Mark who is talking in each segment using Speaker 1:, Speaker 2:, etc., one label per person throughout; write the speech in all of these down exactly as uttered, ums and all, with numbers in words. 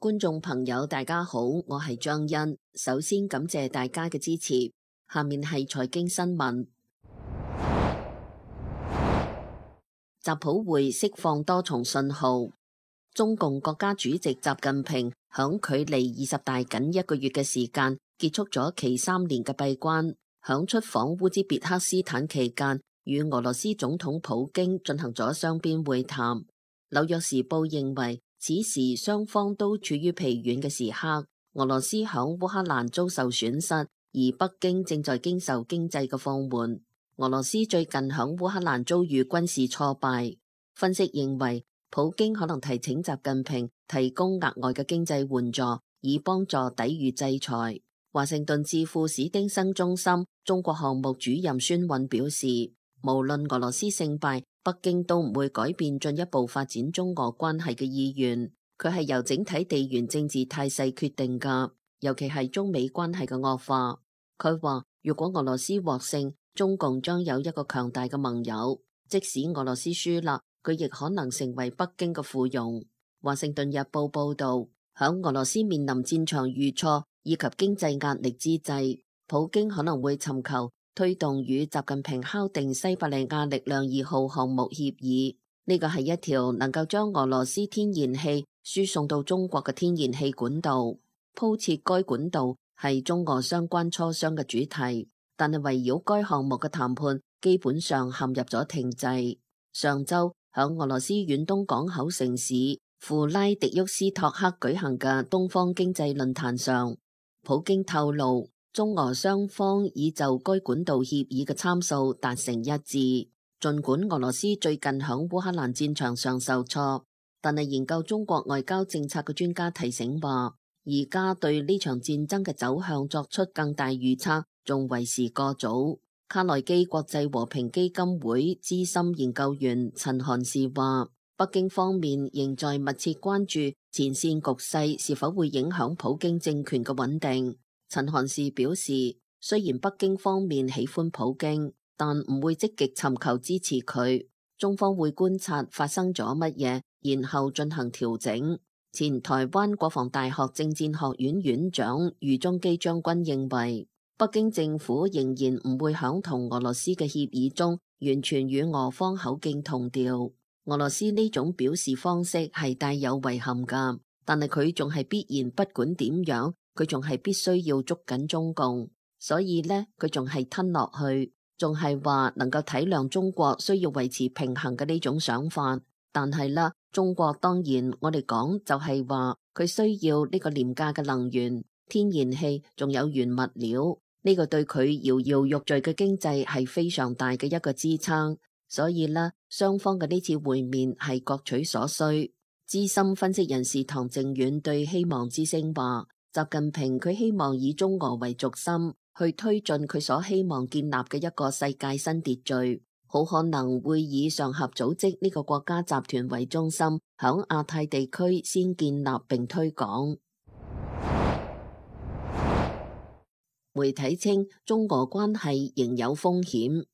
Speaker 1: 觀眾朋友大家好，我係張欣。首先感謝大家嘅支持。下面係財經新聞。習普會釋放多重信號。中共國家主席習近平響距離二十大僅一個月嘅時間，結束咗其三年嘅閉關。響出訪烏茲別克斯坦期間，與俄羅斯總統普京進行咗雙邊會談。紐約時報認為，此時雙方都處於疲軟嘅時刻。俄羅斯響烏克蘭遭受損失，而北京正在經受經濟嘅放緩。俄羅斯最近響烏克蘭遭遇軍事挫敗。分析認為，普京可能提請習近平提供額外嘅經濟援助，以幫助抵禦制裁。華盛頓智庫史丁生中心中國項目主任孫韻表示，無論俄羅斯勝敗，北京都唔會改變進一步發展中俄關係嘅意願。佢係由整體地緣政治態勢決定㗎，尤其係中美關係嘅惡化。佢話，如果俄羅斯獲勝，中共將有一個強大嘅盟友；即使俄羅斯輸啦，佢亦可能成為北京嘅附庸。華盛頓日報報道，響俄羅斯面臨戰場遇挫以及經濟壓力之際，普京可能會尋求推動與習近平敲定西伯利亞力量二號項目協議。呢個係一條能夠將俄羅斯天然氣輸送到中國嘅天然氣管道。鋪設該管道係中俄相關磋商嘅主題，但係圍繞該項目嘅談判基本上陷入咗停滯。上周響俄羅斯遠東港口城市庫拉迪沃斯托克舉行嘅東方經濟論壇上，普京透露，中俄雙方已就該管道協議嘅參數達成一致。儘管俄羅斯最近響烏克蘭戰場上受挫，但係研究中國外交政策嘅專家提醒話，而家對呢場戰爭嘅走向作出更大預測仲為時過早。卡內基國際和平基金會資深研究員陳韓士話，北京方面仍在密切關注前線局勢是否會影響普京政權嘅穩定。陳韓士表示，雖然北京方面喜歡普京，但唔會積極尋求支持佢。中方會觀察發生咗乜嘢，然後進行調整。前台灣國防大學政戰學院院長余中基將軍認為，北京政府仍然唔會響同俄羅斯嘅協議中完全與俄方口徑同調。俄羅斯呢種表示方式係帶有遺憾㗎，但係佢仲係必然，不管點樣，佢仲係必須要捉緊中共，所以呢，佢仲係吞落去，仲係話能夠體諒中國需要維持平衡嘅呢種想法。但係啦，中國當然我哋講就係話佢需要呢個廉價嘅能源、天然氣，仲有原物料。呢個對佢搖搖欲墜嘅經濟係非常大嘅一個支撐，所以呢，雙方嘅呢次會面係各取所需。資深分析人士唐靖遠對希望之聲話，習近平佢希望以中俄為軸心，去推進佢所希望建立嘅一個世界新秩序，好可能會以上合組織呢個國家集團為中心，響亞太地區先建立並推廣。媒體稱，中俄關係仍有風險。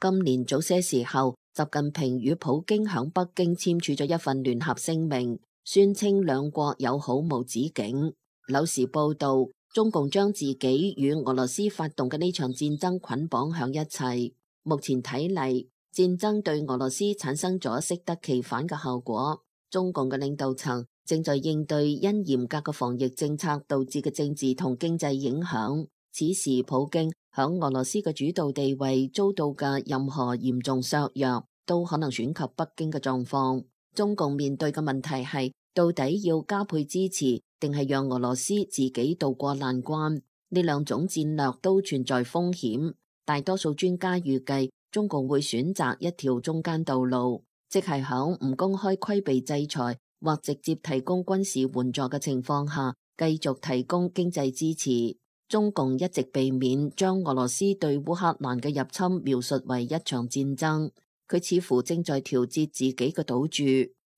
Speaker 1: 今年早些時候，習近平與普京響北京簽署咗一份聯合聲明，宣稱兩國友好無止境。紐時報道，中共將自己與俄羅斯發動嘅呢場戰爭捆綁響一齊。目前睇嚟，戰爭對俄羅斯產生咗適得其反嘅效果。中共嘅領導層正在應對因嚴格嘅防疫政策導致嘅政治同經濟影響。此時普京響俄羅斯嘅主導地位遭到嘅任何嚴重削弱，都可能損及北京嘅狀況。中共面對嘅問題係，到底要加倍支持，定係讓俄羅斯自己渡過難關？呢兩種戰略都存在風險。大多數專家預計，中共會選擇一條中間道路，即係響唔公開規避制裁或直接提供軍事援助嘅情況下，繼續提供經濟支持。中共一直避免將俄羅斯對烏克蘭嘅入侵描述為一場戰爭，佢似乎正在調節自己嘅賭注，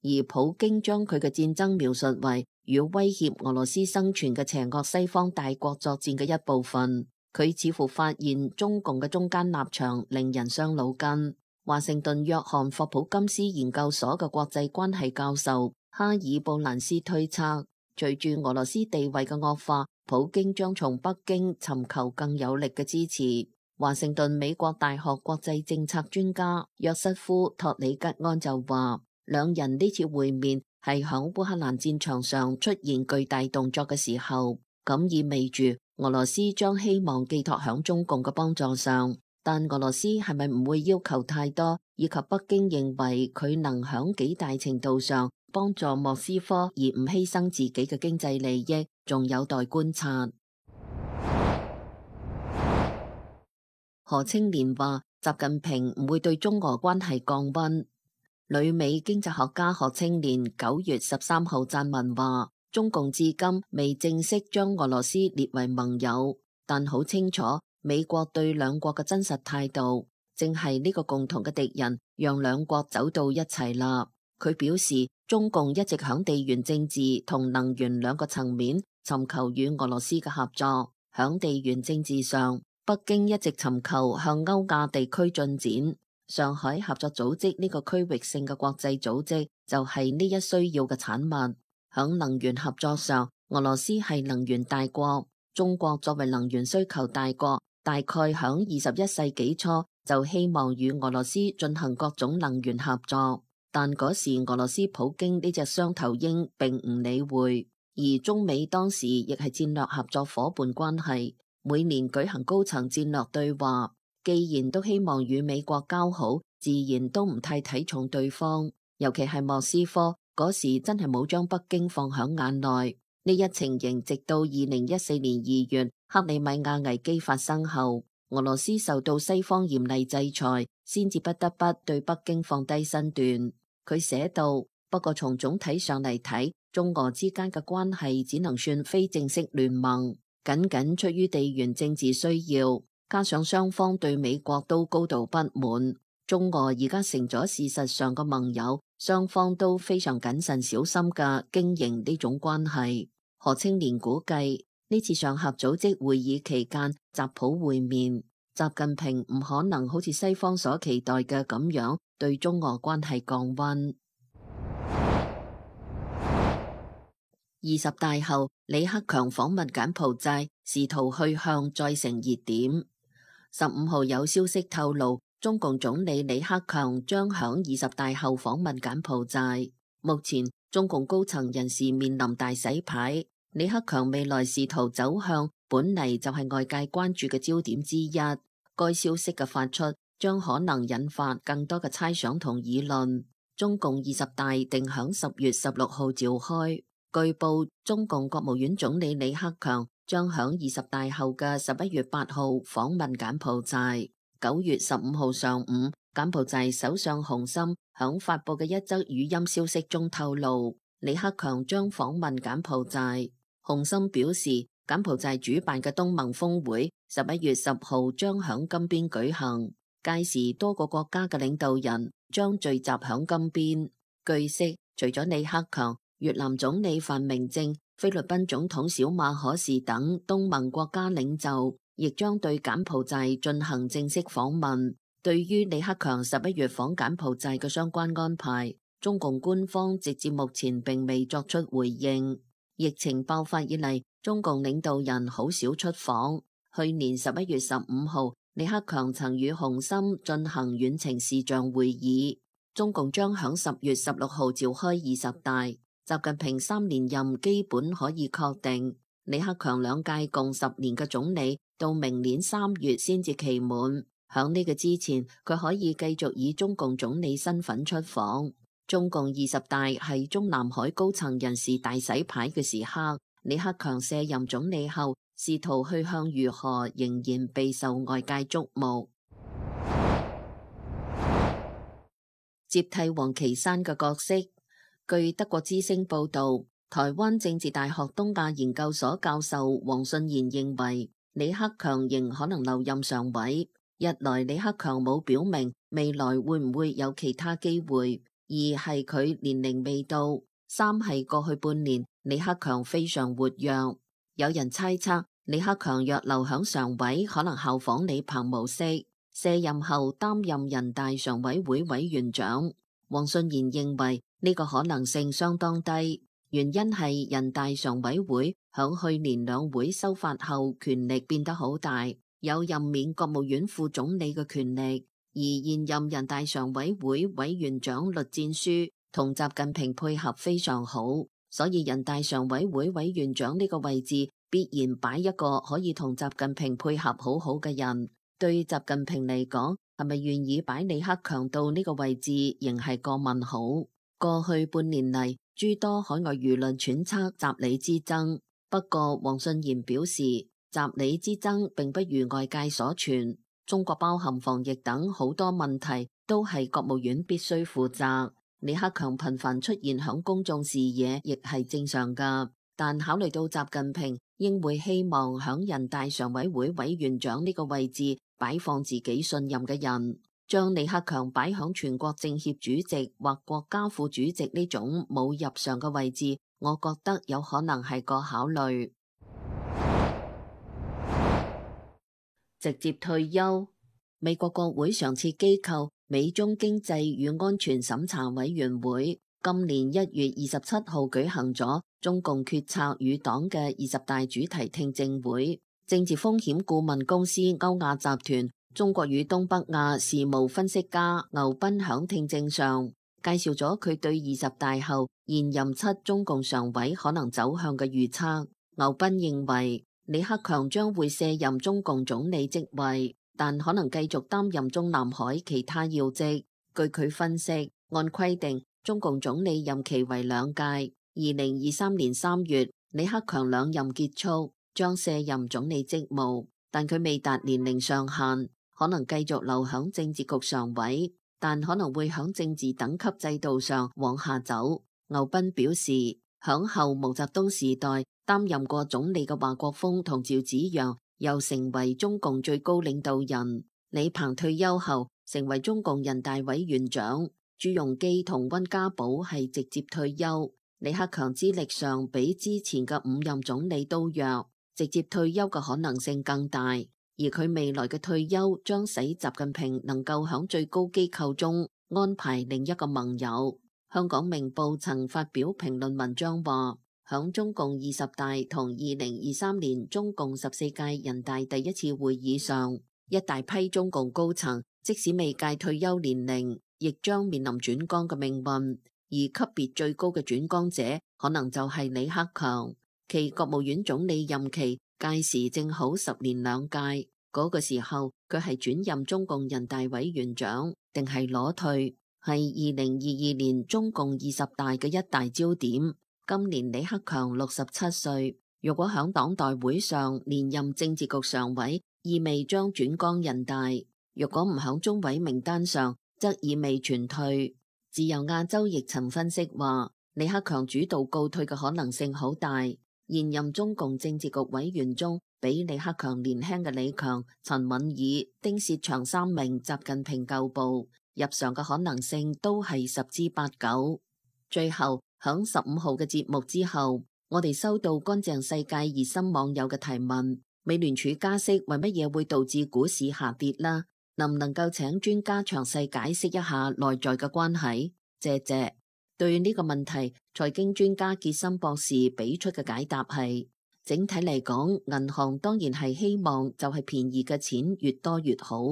Speaker 1: 而普京將佢嘅戰爭描述為與威脅俄羅斯生存嘅邪惡西方大國作戰嘅一部分。佢似乎發現中共嘅中間立場令人傷腦筋。華盛頓約翰霍普金斯研究所嘅國際關係教授哈爾布蘭斯推測，隨住俄羅斯地位嘅惡化，普京將從北京尋求更有力嘅支持。華盛頓美國大學國際政策專家約瑟夫托里吉安就話，兩人呢次會面係響烏克蘭戰場上出現巨大動作嘅時候，咁意味住俄羅斯將希望寄託響中共嘅幫助上，但俄羅斯係咪唔會要求太多，以及北京認為佢能響幾大程度上幫助莫斯科而唔犧牲自己嘅經濟利益，仲有待觀察。何清漣話，習近平唔會對中俄關係降溫。旅美經濟學家何清漣九月十三號撰文話，中共至今未正式將俄羅斯列為盟友，但好清楚美國對兩國嘅真實態度，正係呢個共同嘅敵人，讓兩國走到一齊啦。佢表示，中共一直響地緣政治同能源兩個層面尋求與俄羅斯嘅合作。響地緣政治上，北京一直尋求向歐亞地區進展，上海合作組織呢個區域性嘅國際組織就係呢一需要嘅產物。響能源合作上，俄羅斯係能源大國，中國作為能源需求大國，大概響二十一世紀初就希望與俄羅斯進行各種能源合作，但嗰時俄羅斯普京呢隻雙頭鷹並唔理會，而中美當時亦係戰略合作伙伴關係。每年舉行高層戰略對話，既然都希望與美國交好，自然都唔太睇重對方，尤其係莫斯科嗰時真係冇將北京放響眼內。呢一情形直到二零一四年二月克里米亞危機發生後，俄羅斯受到西方嚴厲制裁，先至不得不對北京放低身段。佢寫道，不過從總體上嚟睇，中俄之間嘅關係只能算非正式聯盟。僅僅出於地緣政治需要，加上雙方對美國都高度不滿，中俄而家成咗事實上嘅盟友，雙方都非常謹慎小心嘅經營呢種關係。何清漣估計呢次上合組織會議期間，習普會面，習近平唔可能好似西方所期待嘅咁樣對中俄關係降溫。二十大後，李克強訪問柬埔寨，試圖去向再成熱點。十五號有消息透露，中共總理李克強將響二十大後訪問柬埔寨。目前中共高層人士面臨大洗牌，李克強未來仕途走向本嚟就係外界關注嘅焦點之一。該消息嘅發出，將可能引發更多嘅猜想同議論。中共二十大定響十月十六號召開。據報，中共國務院總理李克強將響二十大後嘅十一月八號訪問柬埔寨。九月十五號上午，柬埔寨首相洪森響發佈嘅一則語音消息中透露，李克強將訪問柬埔寨。洪森表示，柬埔寨主辦嘅東盟峰會十一月十號將響金邊舉行，屆時多個國家嘅領導人將聚集響金邊。據悉，除咗李克強，越南總理范明政、菲律賓總統小馬可士等東盟國家領袖亦將對柬埔寨進行正式訪問。對於李克強十一月訪柬埔寨嘅相關安排，中共官方直至目前並未作出回應。疫情爆發以嚟，中共領導人好少出訪。去年十一月十五號，李克強曾與洪森進行遠程視像會議。中共將響十月十六號召開二十大。習近平三連任基本可以確定，李克強兩屆共十年嘅總理到明年三月先至期滿。響呢個之前，佢可以繼續以中共總理身份出訪。中共二十大係中南海高層人士大洗牌嘅時刻，李克強卸任總理後，仕途去向如何仍然備受外界矚目。接替王岐山嘅角色。據德國之聲報道，台灣政治大學東亞研究所教授黃信賢認為，李克強仍可能留任常委。一來李克強冇表明未來會唔會有其他機會，二係佢年齡未到，三係過去半年李克強非常活躍。有人猜測李克強若留響常委，可能效仿李鵬模式，卸任後擔任人大常委會委員長。黃信賢認為呢個可能性相當低。原因係人大常委會響去年兩會修法後，權力變得好大，有任免國務院副總理嘅權力，而現任人大常委會委員長栗戰書同習近平配合非常好，所以人大常委會委員長呢個位置必然擺一個可以同習近平配合好好嘅人。對習近平嚟講，係咪願意擺李克強到呢個位置，仍係個問號。過去半年嚟，諸多海外輿論揣測習李之爭，不過黃信賢表示，習李之爭並不如外界所傳，中國包含防疫等好多問題都係國務院必須負責。李克強頻繁出現響公眾視野，亦係正常㗎。但考慮到習近平應會希望響人大常委會委員長呢個位置擺放自己信任嘅人，將李克強擺響全國政協主席或國家副主席呢種冇入常嘅位置，我覺得有可能係個考慮。直接退休。美國國會常設機構美中經濟與安全審查委員會今年一月二十七號舉行咗中共決策與黨嘅二十大主題聽證會。政治風險顧問公司歐亞集團中國與東北亞事務分析家牛斌響聽證上介紹咗佢對二十大後現任七中共常委可能走向嘅預測。牛斌認為李克強將會卸任中共總理職位，但可能繼續擔任中南海其他要職。據佢分析，按規定中共總理任期為兩屆，二零二三年三月李克強兩任結束，將卸任總理職務，但佢未達年齡上限，可能繼續留響政治局常委，但可能會響政治等級制度上往下走。牛斌表示，響後毛澤東時代擔任過總理嘅華國鋒同趙紫陽又成為中共最高領導人，李鵬退休後成為中共人大委員長，朱鎔基同溫家寶係直接退休。李克強資歷上比之前嘅五任總理都弱，直接退休嘅可能性更大，而佢未來嘅退休將使習近平能夠響最高機構中安排另一個盟友。香港明報曾發表評論文章話，響中共二十大同二零二三年中共十四屆人大第一次會議上，一大批中共高層即使未屆退休年齡，亦將面臨轉崗嘅命運。而級別最高嘅轉崗者可能就係李克強，其國務院總理任期屆時正好十年兩屆，嗰個時候佢係轉任中共人大委員長定係裸退，係二零二二年中共二十大嘅一大焦點。今年李克強六十七歲，如果響黨代會上連任政治局常委，意味將轉崗人大；如果唔響中委名單上，則意味全退。自由亞洲亦曾分析話，李克強主導告退嘅可能性好大。現任中共政治局委員中，比李克強年輕嘅李強、陳敏爾、丁薛祥三名習近平舊部入常嘅可能性都係十之八九。最後響十五號嘅節目之後，我哋收到乾淨世界熱心網友嘅提問：美聯儲加息為乜嘢會導致股市下跌啦？能唔能夠請專家詳細解釋一下內在嘅關係？謝謝。對呢個問題，財經專家傑森博士俾出嘅解答係：整體嚟講，銀行當然係希望就係便宜嘅錢越多越好，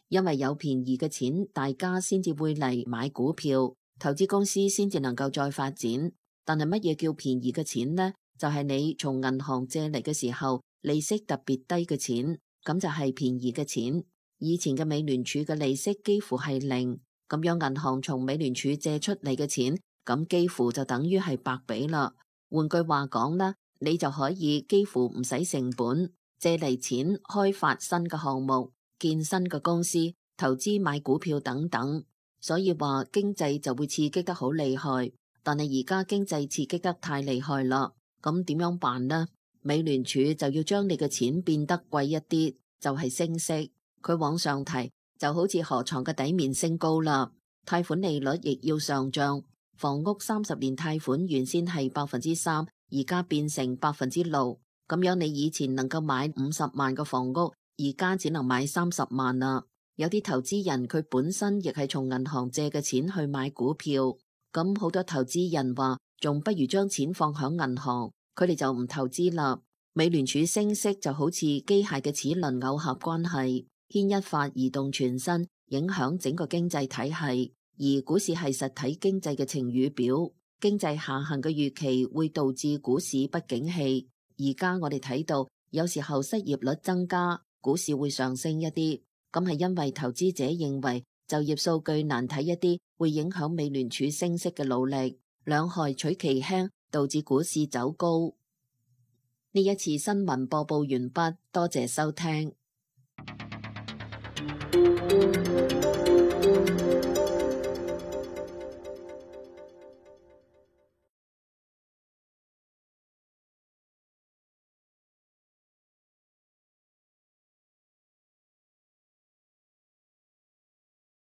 Speaker 1: 因為有便宜嘅錢，大家先至會嚟買股票，投資公司先至能夠再發展。但係乜嘢叫便宜嘅錢呢？就係你從銀行借嚟嘅時候，利息特別低嘅錢，咁就係便宜嘅錢。以前嘅美聯儲嘅利息幾乎係零，咁樣銀行從美聯儲借出嚟嘅錢，咁幾乎就等於係白俾啦。換句話講啦，你就可以幾乎唔使成本借嚟錢開發新嘅項目、建新嘅公司、投資買股票等等。所以話經濟就會刺激得好厲害，但係而家經濟刺激得太厲害啦，咁點樣辦呢？美聯儲就要將你嘅錢變得貴一啲，就係升息。佢往上提就好似河床嘅底面升高啦，貸款利率亦要上漲。房屋三十年貸款原先係百分之三，而家變成百分之六，咁樣你以前能夠買五十萬嘅房屋，而家只能買三十萬啦。有啲投資人佢本身亦係從銀行借嘅錢去買股票，咁好多投資人話仲不如將錢放響銀行，佢哋就唔投資啦。美聯儲升息就好似機械嘅齒輪耦合關係，牽一髮而動全身，影響整個經濟體系。而股市係實體經濟嘅晴雨表，經濟下行嘅預期會導致股市不景氣。而家我哋睇到，有時候失業率增加，股市會上升一啲，咁係因為投資者認為就業數據難睇一啲，會影響美聯儲升息嘅努力，兩害取其輕，導致股市走高。呢一次新聞播報完畢，多謝收聽。